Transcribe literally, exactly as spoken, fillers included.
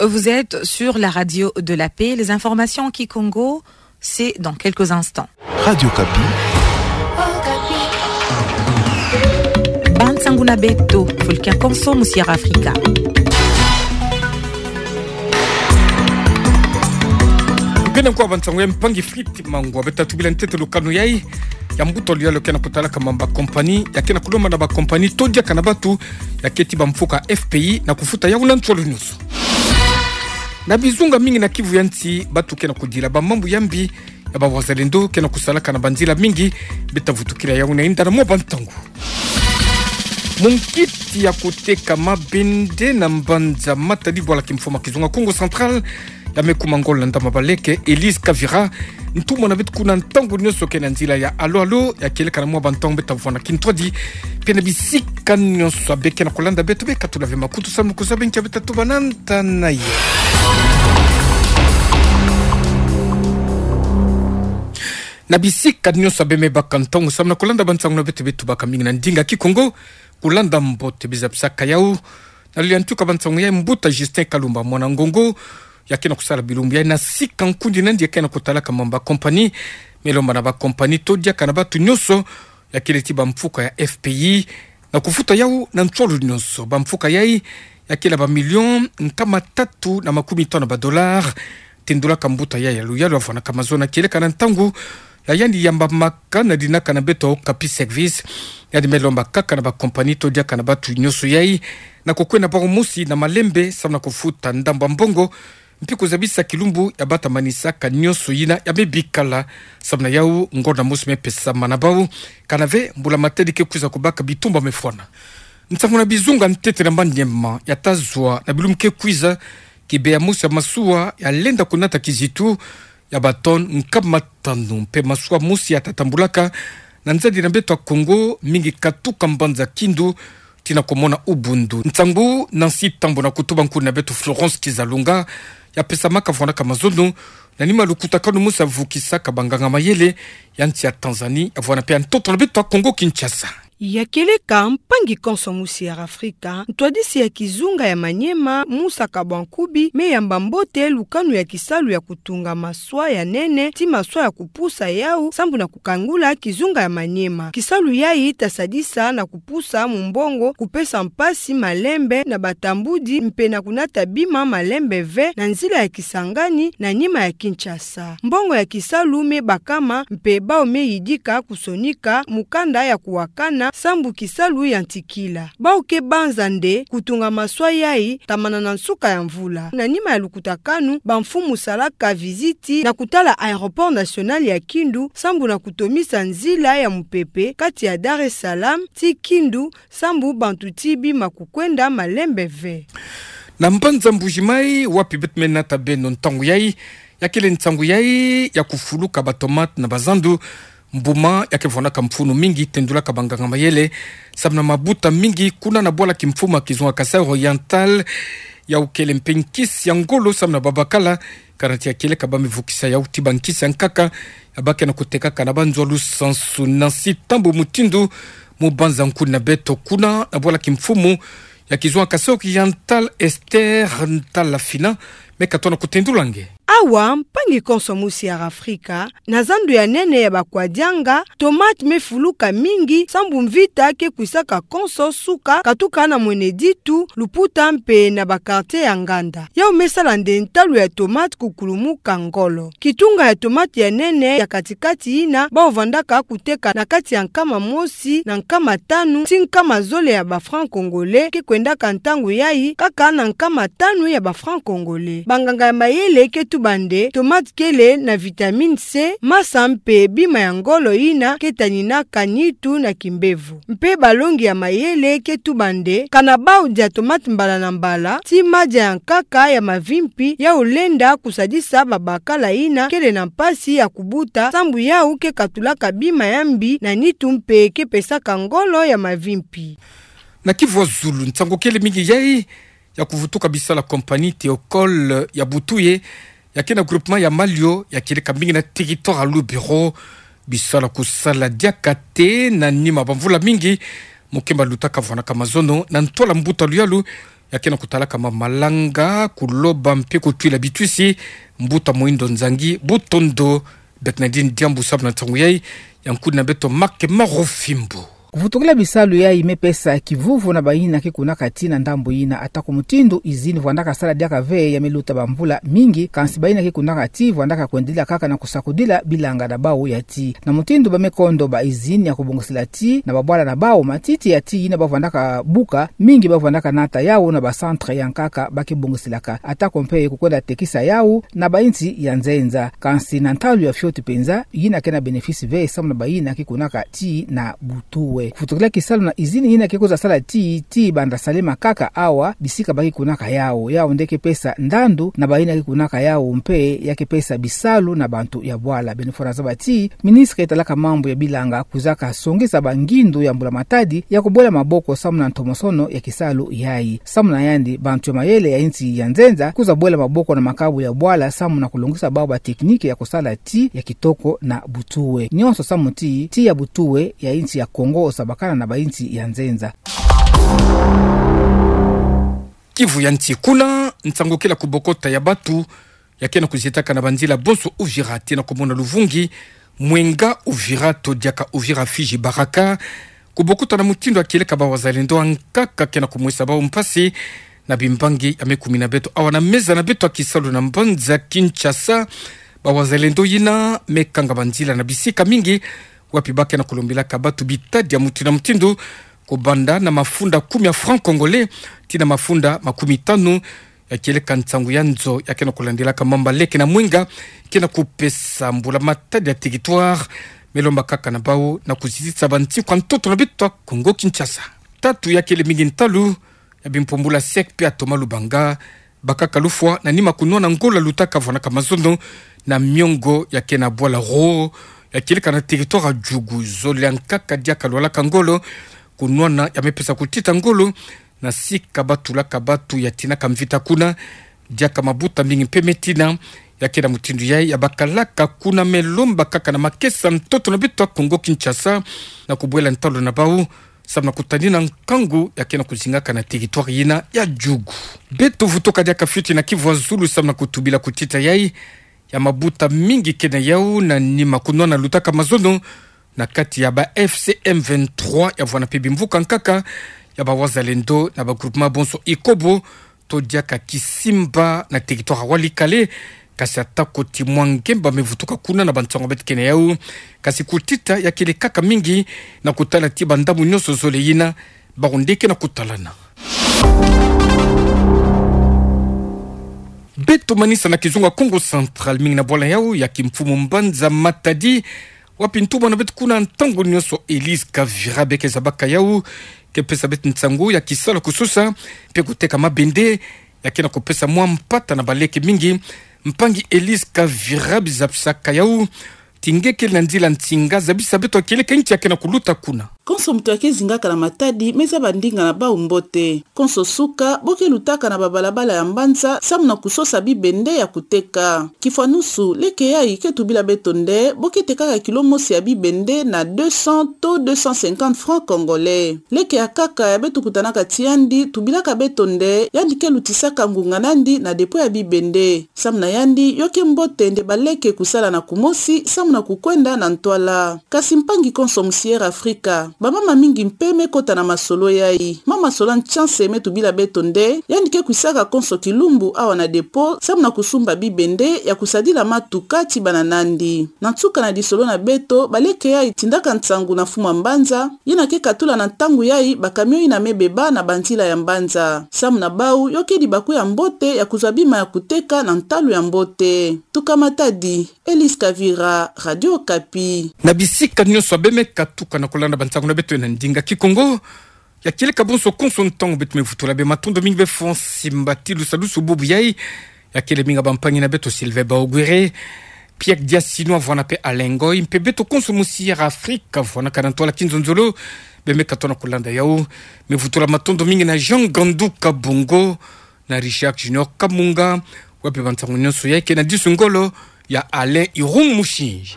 Vous êtes sur la radio de la paix. Les informations en kikongo, c'est dans quelques instants. Radio Okapi. Bansangu na beto, fuluki ya konso mu Sierra Africa. Beno kwa bansangu ya mpangi Fritz Mangwa, beta tubila ntete lukanu yayi ya mbuta luyalu ke na kutalaka mambu ya kompani, ya ke na kulomba na ba kompani to diaka na batu, ya keti ba mfuka F P I na kufuta yau na nsolo nyonso. Na bizunga mingi na Kivu ya nsi, batu ke na kudila ba mambu ya mbi, ya ba wazalendo ke na kusalaka na banzila mingi, beta vutukila yau na inda na mwa bantangu. Munkiti ya kuteka mabende na mbanza Matadi, bwala kimfumu ya kizunga Kongo Central, ya me kuma ngolo na Ndama Baleke, Elise Kavira, ntumwa na beto kuna ntangu nyonso ke na nzila ya alo alo, ya kieleka na mwa bantangu beta vwanda kintwadi, pia na bisika nyonso ya be ke na kulanda beto, be katula ve makutu samu na kuzaba nkia beta tuba na nta na ye. Na bisika nyonso ya be me baka ntangu samu na kulanda bansangu na beto, be tubaka mingi na ndinga Kikongo, kulanda mbote biza bisaka yau. Na luli ya ntuka bansangu ya mbuta Justin Kalumba, mwana Ngongo, ya ke na kusala bilumbu ya na sika nkundi na ndi ya ke na kutalaka mambu ya kompani, me lomba na ba kompani to diaka na batu nyonso, ya kele ti ba mfuka ya F P I, na kufuta yau na nsolo nyonso. Ba mfuka yayi, ya kele ba million nkama tatu na makumi tanu ba dollars, tendulaka mbuta yayi ya luyalu ya vwandaka mazono, kieleka na ntangu ya yandi yambamaka na dinaka na beto Okapi Service, yandi me lomba kaka na ba kompani to diaka na batu nyonso yayi, na kukwenda bau mosi na malembe, samu na kufuta ndambu ya mbongo, mpi kuzabisa kilumbu ya bata manisaka nyonso yina ya me bikala, samu na yau ngolo na mosi me pesama na bau, kana ve mbula matadi ke kwiza kubaka bitumba me fwana. Nsangu na bizunga ntete na Maniema ya ta zwa na bilumbu ke kwiza, kibe ya mosi ya masuwa ya lenda kunata kizitu ya ba tonnes nkama tanu, mpe masuwa mosi ya ta tambulaka na nzadi na beto ya Kongo, mingi katuka mbanza Kindu tii na komona Ubundu. Nsangu Nancy Tambo na kutuba nkundi na beto Florence Kizalunga, ya pesamaka vwandaka mazono na nima lukutakanu mosi ya vukisaka banganga mayele ya nsi ya Tanzanie, ya vwanda mpe ya ntoto na beto ya Kongo Kinshasa. Ya kieleka mpangi konso mu Sierra Africa, ntwadisi ya kizunga ya Maniema, Musa Kabwankubi, me yamba mbote lukanu ya kisalu ya kutunga masuwa ya nene, tii masuwa ya kupusa yau, sambu na kukangula kizunga ya Maniema. Kisalu yayi ta sadisa na kupusa mu mbongo, kupesa mpasi malembe na batambudi, mpe na kunata bima malembe ve na nzila ya Kisangani na nima ya Kinshasa. Mbongo ya kisalu me bakama, mpe bau me yidika kusonika mukanda ya kuwakana sambu kisalu yantikila. Bau ke banza nde kutunga masuwa yayi tamana na nsuka ya mvula. Na nima ya lukutakanu, ba mfumu salaka visite na kutala aéroport national ya Kindu, sambu na kutomisa nzila ya mupepe kati ya Dar es Salaam tii Kindu, sambu bantu tii bima kukwenda malembe ve. Na mbanza Mbuji-Mayi, wapi beto me nata beno ntangu yayi, ya kele nsangu yayi ya kufuluka ba tomate na ba zandu. Mbuma ya ke vwandaka mfunu mingi, tendulaka banganga mayele samu na mabuta mingi kuna na bwala kimfumu ya kizunga Kasaï Oriental, yau kele mpe nkisi ya ngolo samu na babakala, kana ti ya kieleka ba me vukisa yau tii ba nkisi ya nkaka ya ba ke na kutekaka na banzo ya lusansu. Nancy Tambo Mutindu, mubanza nkundi na beto kuna na bwala kimfumu ya kizunga Kasaï Oriental, Esther Ntalafina, me katoa na kutendula nge. Awa, mpangi konso mu Sierra Africa, na zandu ya nene ya Bakwadianga, tomate me fuluka mingi, sambu mvita ke kwisaka konso suka, katuka na Mweneditu, Luputa mpe na ba quartier ya nganda. Yau me sala nde ntalu ya tomate kukulumuka ngolo. Kitunga ya tomate ya nene ya kati-kati yina bau vandaka kuteka na kati ya nkama mosi na nkama tanu tii nkama zole ya ba francs congolais ke kwendaka ntangu yayi kaka na nkama tanu ya ba francs congolais. Banganga ya mayele ke tuba nde tomate kele na vitamine C, masa mpe bima ya ngolo yina ke taninaka nitu na kimbevo. Mpe balongi ya mayele ke tuba nde kana bau dia tomate mbala na mbala, tii madia ya nkaka ya mavimpi, yau lenda kusadisa babakala yina kele na mpasi ya kubuta, sambu yau ke katulaka bima ya mbi na nitu mpe ke pesaka ngolo ya mavimpi. Na Kivu ya zulu, nsangu kele mingi yayi ya kuvutuka bisalu ya compagnie Théocole ya butu ye, ya ke na groupement ya Malio, ya kieleka mingi na territoire ya Lubero. Bisalu ya kusala diaka te na nima bamvula mingi, mukemba lutaka vwandaka mazono na ntwala mbuta luyalu ya ke na kutalaka mamalanga, kuloba mpe kutwila bitwisi. Mbuta Moindo Nzangi, butondo. Beto na dini diambu samu na ntangu yai, ya nkudi na beto Make Marufimbo. Kuvutukila bisalu yai me pesa kivuvu na bayina ke kunaka tii na ndambu yina, atako mutindu izini vwandaka sala diaka ve ya me luta bamvula mingi, kansi bayina ke kunaka tii vwandaka kwendila kaka na kusakudila bilanga na bau ya tii. Na mutindu ba me kondo ba izini ya kubongisila tii na babwala na bau, matiti ya tii yina ba vwandaka buka, mingi ba vwandaka nata yau na ba centre ya nkaka ba ke bongisilaka, atako mpe kukwenda tekisa yau na bainsi ya nzenza. Kansi na ntalu ya fioti penza, yina ke na bénéfice ve samu na bayina ke kunaka tii na butuwe. Kuvutukila kisalu na izini yina ke kwiza sala tii, tii banda Salema kaka awa, bisika ba ke kunaka yau, yau nde ke pesa ndandu, na bayina ke kunaka yau mpe ya ke pesa bisalu na bantu ya bwala. Beno fwana zaba ti ministre talaka mambu ya bilanga kwizaka songesa bangindu ya mbula matadi ya kubwela maboko samu na ntomosono ya kisalu yai. Samu na yandi, bantu ya mayele ya insi ya nzenza kwiza bwela maboko na makabu ya bwala samu na kulongisa bau ba technique ya kusala tii ya kitoko na butuwe. Nionso samu ti tii ya butuwe ya insi ya Kongo osabakana na bainsi ya nzenza. Kivu ya nsi kuna, nsangu kila kubokota ya batu ya ke na kuzietaka na banzila bonso Uvira tii na kumona luvungi, mwenga Uvira to diaka Uvira Fizi Baraka, kubokota na mutindu ya kieleka ba wazalendo ya nkaka ke na kumwesa bau mpasi na bimbangi ya me kumina beto awa na meza na beto ya kisalu na mbanza Kinshasa. Ba wazalendo yina me kanga banzila na bisika mingi, wapi ba ke na kulombilaka batu bitadi ya mutindu na mutindu, kubanda na mafunda kumi ya francs congolais tii na mafunda makumi tanu, ya kieleka nsangu ya nzo ya ke na kulandilaka mamba leke na mwenga ke na kupesa mbula matadi ya territoire. Me lomba kaka na bau na kuzitisa bansi kwa ntoto na beto ya Kongo Kinshasa. Tatu ya kele mingi ntalu ya bimpumbula sec mpe ya Thomas Lubanga, bakaka lufwa na nima kunwana ngolo ya lutaka vwanaka mazono na miongo ya ke na bwala Roa, ya kieleka na territoire ya Djugu. Zole ya nkaka diaka lwalaka ngolo, kunwana ya me pesa kutita ngolo na sika ba tulaka batu ya tinaka mvita kuna. Diaka mabuta mingi mpe me tina, ya ke na mutindu yai ya bakalaka kuna. Me lomba kaka na makesa ntoto na beto ya Kongo Kinshasa na kubwela ntalu na bau samu na kutanina nkangu ya ke na kuzingaka na territoire yina ya Djugu. Beto vutuka diaka fioti na Kivu ya Zulu samu na kutubila kutita yai ya mabuta mingi ke na yau na nima kunwana lutaka mazono na kati ya ba F C M vingt-trois ya vwana mpe bimvuka nkaka ya ba wazalendo na ba groupement bonso Ikobo to diaka Kisimba na territoire ya Walikale. Kasi atako ti mwa ngemba me vutuka kuna na bansangu beto ke na yau, kasi kutita ya kele kaka mingi na kutala ti bandambu nionso zole yina bau nde ke na kutalana. Beto manisa na kizunga Kongo Central, mingi na bwala yau ya kimfumu mbanza Matadi, wapi ntumwa na beto kuna ntangu nionso Elise Kavira Bekeza baka yau ke pesa beto nsangu ya kisalu kusosa mpe kuteka mabende ya ke na kupesa mwa mpata na baleke mingi. Mpangi Elise Kavira, bizapisaka yau ti nge kele na nzila nsinga, zabisa beto ya kieleka nki ya ke na kuluta kuna. Konso moto ya ke zingaka na Matadi me zaba ndinga na bau mbote. Konso suka bo ke lutaka na babalabala ya mbanza samu na kusosa bibende ya kuteka. Kifwanusu, leke yai ke tubila beto nde bo ke tekaka kilo mosi ya bibende na deux cents to deux cent cinquante francs congolais. Leke ya nkaka ya beto kutanaka ti yandi tubilaka beto nde yandi ke lutisaka ngunga na yandi na dépôt ya bibende. Samu na yandi, yo ke mbote nde baleke kusala na kumosi samu na kukwenda na ntwala. Kasi mpangi konso musi Air Africa, bamama mingi mpe me kota na masolo yai. Mama Solange Chance me tubila beto nde yandi ke kwisaka konso kilumbu awa na dépôt samu na kusumba bibende ya kusadila matuka ti bana na yandi. Na nsuka na lisolo na beto, baleke yai tindaka nsangu na mfumu ya mbanza yina ke katula na ntangu yai bacamion yina me beba na banzila ya mbanza. Samu na bau, yo ke dibaku ya mbote ya kuzwa bima ya kuteka na ntalu ya mbote. Tuka Matadi, Elise Kavira, Radio Okapi. Na bisika nionso abe me katuka na kulanda bansangu na beto na ndinga Kikongo, ya kieleka bonso konso ntangu beto me vutula be matondo mingi be fo nsimba ti lusalusu bubu yai. Ya kele mingi bampangi na beto Sylvain Baogwere, Pierre Diasino, avwana mpe Alain Ngoy, mpe beto konso musi Air Africa, avwanaka na ntwala kinzonzolo, be me katona kulanda yau. Me vutula matondo mingi na Jean Gandu Kabongo, na Richard Junior Kamunga, wapi bansangu nionso yai ke na disu ngolo ya Alain Irum Musinji.